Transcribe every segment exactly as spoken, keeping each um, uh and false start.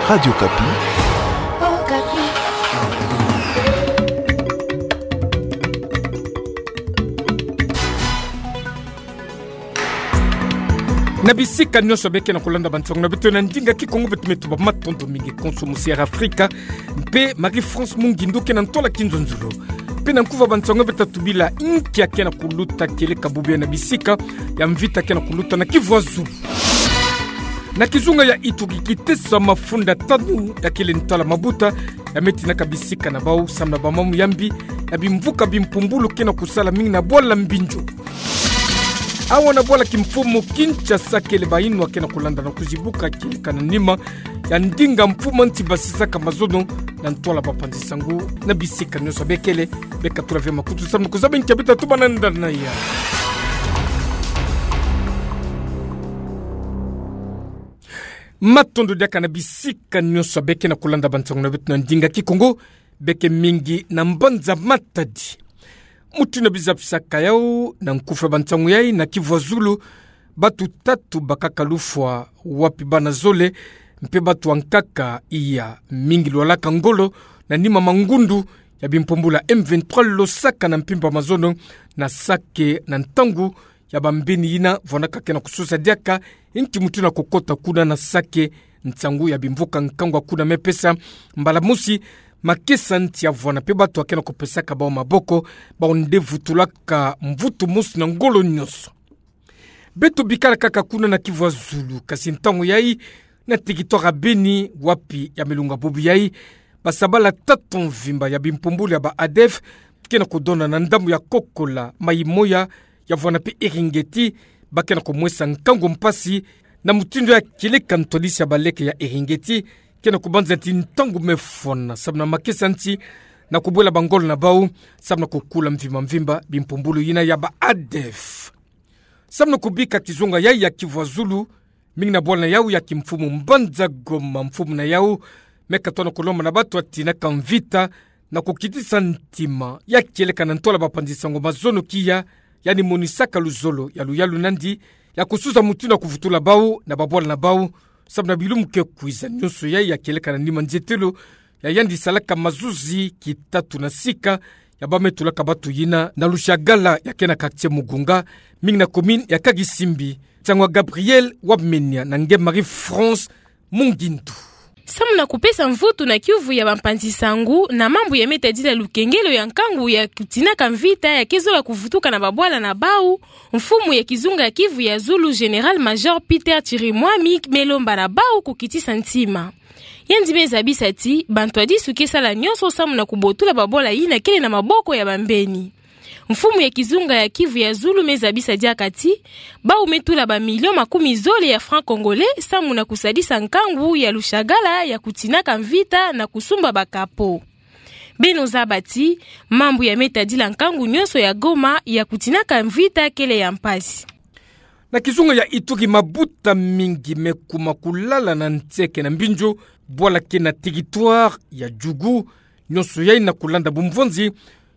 Radio Okapi. Na bisika nyonso bie ke na kulanda bansangu na beto na ndinga Kikongo, beto me tuba matondo mingi konso musi Air Afrika mpe Marie-France Mungindu ke na ntwala kinzonzolo. Mpe na nkufa bansangu bie ta tubila inki ya ke na kuluta kieleka bubu ya na bisika ya mvita ke na kuluta na Kivu ya Zulu. Na kizunga ya Ituri, kiteso ya mafunda tanu ya kele ntwala mabuta ya me tinaka bisika na bau samu na bamamu ya mbi ya bimvuka bimpumbulu ke na kusala mingi na bwala Mbinjo. Awa na bwala kimfumu Kinshasa kele bayinwa ke na kulanda na kuzibuka kieleka na nima ya ndinga mfumu nsi basisaka mazono na ntwala bapanzi sangu na bisika nyonso bie kele. Bie katula ve makutu samu na kuzaba inki ya bie ta tuba na ndana ya. Matondo diaka na bisika nyonso bie ke na kulanda bansangu na beto na ndinga Kikongo, bie ke mingi na mbanza Matadi. Mutindu bie zabisaka yau na nkufa bansangu yai, na Kivu ya Zulu, batu tatu bakaka lufwa, wapi bana zole mpe batu ya nkaka iya mingi lwalaka ngolo na nima mangundu ya bimpumbulu ya M vingt-trois losaka na mpimpa mazono na Sake na ntangu ya bambeni yina vwanaka ke na kusosa diaka inki mutindu ya kukota kuna na Sake, nsangu ya bimvuka nkangu ya kuna me pesa mbala mosi makesa nsi ya vwana mpe batu ya ke na kupesaka bau maboko, bau nde vutulaka mvutu mosi na ngolo nyonso. Beto bikala kaka kuna na Kivu ya Zulu, kasi ntangu yai na territoire ya Beni, wapi ya milunga bubu yai basabala tatu mvimba ya bimpumbulu ya ba ADF ke na kudona na ndambu ya Kokola, Maï-Moya ya vwana mpe Eringeti, ba ke na kumwesa nkangu mpasi na mutindu ya kieleka ntwadisi ya baleke ya Eringeti ke na kubanza ti ntangu me fwana samu na makesa nsi na kubwela bangolo na bau samu na kukula mvimba mvimba bimpumbulu yina ya ba ADF. Samu na kubika kizunga yai ya Kivu ya Zulu, mingi na bwala na yau ya kimfumu mbanza Goma, mfumu na yau me katono kulomba na batu ya tinaka mvita na kukitisa ntima ya kieleka na ntwala bapanzi sango mazono kia, yandi monisaka luzolo ya luyalu nandi ya kusuza mutindu ya kuvutula bau na babwala na bau samu na bilumu ke kwiza. Nyonso yai ya kieleka na nima nzietelo ya yandi salaka mazuzi kitatu na sika ya ba me tulaka batu yina na Lushagala ya ke na quartier Mugunga, mingi na commune ya Karisimbi. Nsangu ya Gabriel Wamenia na nge Marie-France Mungindu. Samu na kupesa mvutu na kiuvu ya bampanzi sangu na mambu ya me tadila lukengelo ya nkangu ya kutinaka mvita ya ke zola kuvutuka na babwala na bau, mfumu ya kizunga ya Kivu ya Zulu, Général-Major Peter Chirimwami, me lomba na bau kukitisa ntima. Yandi me zabisa ti bantwadisu ke sala nyonso samu na kubotula babwala yina kele na maboko ya bambeni. Mfumu ya kizunga ya Kivu ya Zulu me zabisa diaka ti bau me tula ba millions makumi zole ya francs congolais samu na kusadisa nkangu ya Lushagala ya kutinaka mvita na kusumba ba capot. Beno zaba ti mambu ya me tadila nkangu nyonso ya Goma ya kutinaka mvita kele ya mpasi. Na kizunga ya Ituri, mabuta mingi me kuma kulala na nseke na Mbinjo, bwala ke na territoire ya Djugu. Nyonso yai na kulanda bumvonzi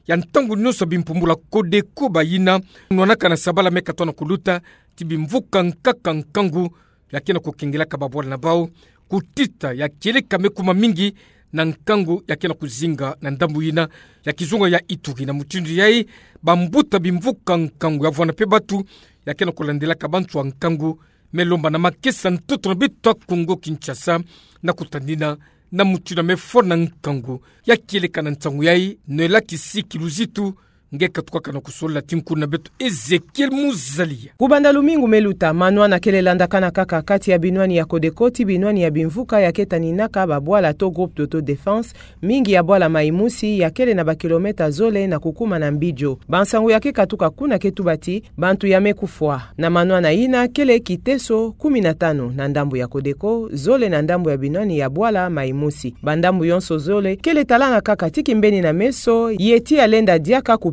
ya ntangu nyonso bimpumbulu ya Codeco, bayina nwanaka na sabala me katono kuluta ti bimvuka nkaka nkangu ya ke na kukengelaka babwala na bau. Kutita ya kieleka me kuma mingi na nkangu ya ke na kuzinga na ndambu yina ya kizunga ya Ituri. Na mutindu yai, bambuta bimvuka nkangu ya vwana mpe batu ya ke na kulandelaka bantu ya nkangu me lomba na makesa ntoto na beto ya Kongo Kinshasa na kutadina na mutindu ya me fwana nkangu ya kieleka na nsangu yai. Noëlla Kisiki Luzitu nge katukaka na kusolola ti nkulu na beto Ezekiel Muzalia. Kubanda lumingu me luta, manwana kele landakana kaka kati ya binwani ya Codeco ti binwani ya bimvuka ya ke taninaka babwala to groupe d'autodéfense, mingi ya bwala Maï-Moussi ya kele na bakilomètre zole na kukuma na Mbidjo. Bansangu ya ke katuka kuna ke tuba ti bantu ya me kufwa. Na manwana yina kele kiteso kumi na tanu na ndambu ya Codeco, zole na ndambu ya binwani ya bwala Maï-Moussi. Bandambu yonso zole kele talana kaka ti kimbeni na meso, ye ti ya lenda diaka ku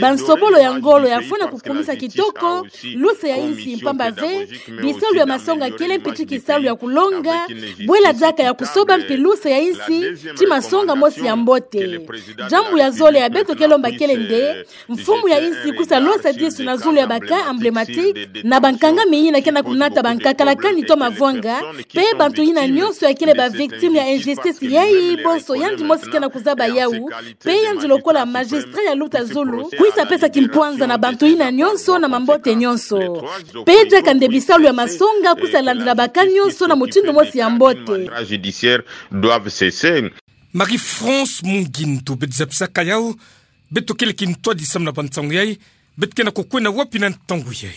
bansobolo ya ngolo yafwana kukumisa kitoko luse ya insi, mpamba ve bisalu ya masonga kele mpi ti kisalu ya kulonga bwela diaka ya kusoba mpi luse ya insi ti masonga mosi ya mbote. Diambu ya zole ya beto ke lomba kele nde mfumu ya insi kwisa losa disu na zulu ya ba cas emblématique na bankangami yina ke na kunata bankakala kani to mavwanga, pe bantu yina nyonso ya kele ba victimes ya injustice yayi, bonso yandi mosi ke na kuzaba yawu, pe yandi lokola magistrat ya luta zulu kwisa pesa kimpwanza na bantu yina nyonso na mambote nyonso. Pe diaka nde bisalu ya masonga kwisa landila ba cas nyonso na mutindu mosi ya mbote. Marie-France Mungindu, beto zabisaka yawu, beto kele kintwadi samu na bansangu yayi, beto ke na kukwenda wapi na ntangu yayi?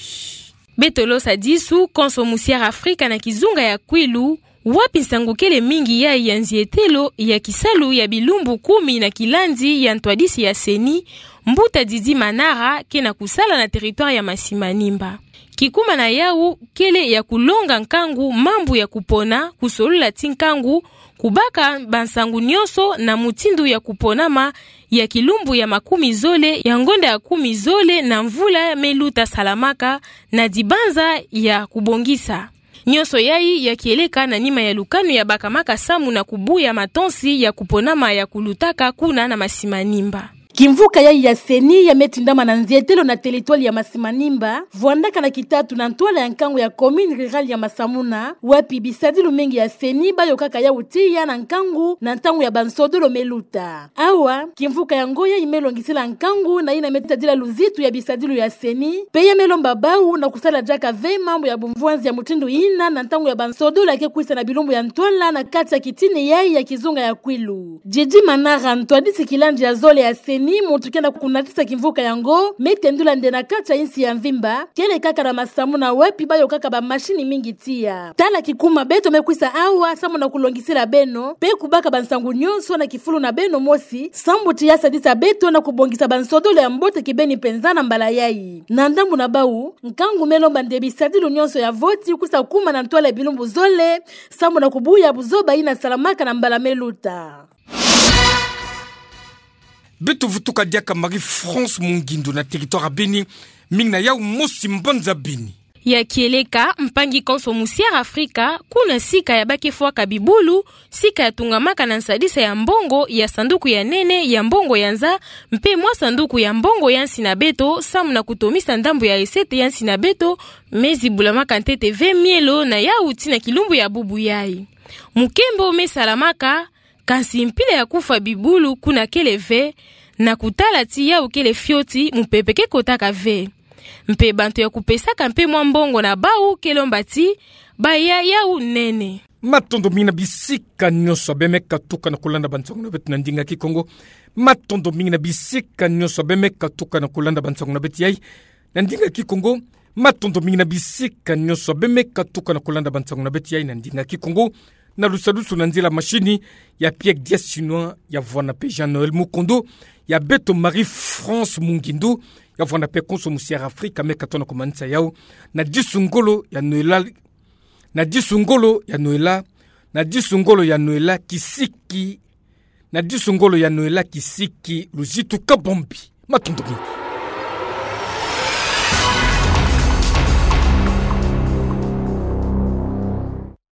Beto losa disu konso mu Sierra Afrika na kizunga ya Kwilu, wapi nsangu kele mingi yayi ya nzietelo ya kisalu ya bilumbu kumi na kilandi ya ntwadisi ya CENI, mbuta Didi Manara ke na kusala na territoire ya Masimanimba. Kikuma na yawu kele ya kulonga nkangu mambu ya kupona, kusolola ti nkangu, kubaka bansangu nyonso na mutindu ya kuponama ya kilumbu ya makumi zole ya ngonda ya kumi zole na mvula me luta salamaka na dibanza ya kubongisa. Nyonso yayi ya kieleka na nima ya lukanu ya bakamaka samu na kubuya matonsi ya kuponama ya kulutaka kuna na Masimanimba. Kimvuka yayi ya CENI ya me tindama na nzietelo na territoire ya Masimanimba, vwandaka na kitatu na ntwala ya nkangu ya commune rurale ya Masamuna, wapi bisadilu mingi ya CENI ba yokaka yawu tiya na nkangu na ntangu ya bansodolo me luta. Awa, kimvuka yango yayi me longisila nkangu na yina me tadila luzitu ya bisadilu ya CENI, pe ya me lomba bawu na kusala diaka ve mambu ya bumvwanzi ya mutindu yina na ntangu ya bansodolo ya ke kwisa na bilumbu ya ntwala na kati ya kitini yayi ya kizunga ya Kwilu. Didi Manara, ntwadisi kilandi ya zole ya CENI, muntu ke na kunatisa kimvuka yango, me tendula nde na kati ya insi ya mvimba, kele kaka na Masamuna wapi ba yokaka ba machine mingi tiya. Tala kikuma beto me kwisa awa samu na kulongisila beno, pe kubaka bansangu nyonso na kifulu na beno mosi, sambu ti ya sadisa beto na kubongisa bansodolo ya mbote kibeni mpenza na mbala yayi. Na ndambu na bawu, nkangu me lomba nde bisadilu nyonso ya voti kwisa kuma na ntwala ya bilumbu zole, samu na kubuya buzoba yina salamaka na mbala me luta. Beto vutuka diaka Marie-France Mungindu na territoire ya beni, mingi na yau mosi mbanza beni. Ya kieleka, mpangi konso mu Sierra Africa, kuna sika ya bakefwaka bibulu, sika ya tungamaka na nsadisa ya mbongo ya sanduku ya nene ya mbongo ya nza, mpe mwa sanduku ya mbongo ya nsi na beto, samu na kutomisa ndambu ya recette ya nsi na beto, me zibulamaka ntete ve mielo na yau tii na kilumbu ya bubu yai. Mukembo me salamaka, kansi mpila ya kufwa bibulu kuna kele ve, na kutala tii yau kele fioti, mupepe ke kotaka ve. Mpe bantu ya kupesaka mpe mwa mbongo na bau ke lomba tii baya yau nene. Matondo mingi na bisika nyonso beno me katuka na kulanda bansangu na beto na ndinga Kikongo. Matondo mingi na bisika nyonso beno me katuka na kulanda bansangu na beto yai na ndinga Kikongo. Matondo mingi na bisika nyonso beno me katuka na kulanda bansangu na beto yai na ndinga Kikongo. Na lusalusu na nzila machine ya Pierre Dias Chinois, ya vwanda mpe Jean-Noël Mukondo, ya beto Marie-France Mungindu, ya vwanda mpe konso mu Sierra Africa, me katono kumanisa yau na disu ngolo ya Noëlla, na disu ngolo ya Noëlla, na disu ngolo ya Noëlla Kisiki, na disu ngolo ya Noëlla Kisiki Luzitu Kabombi. Matondo mingi.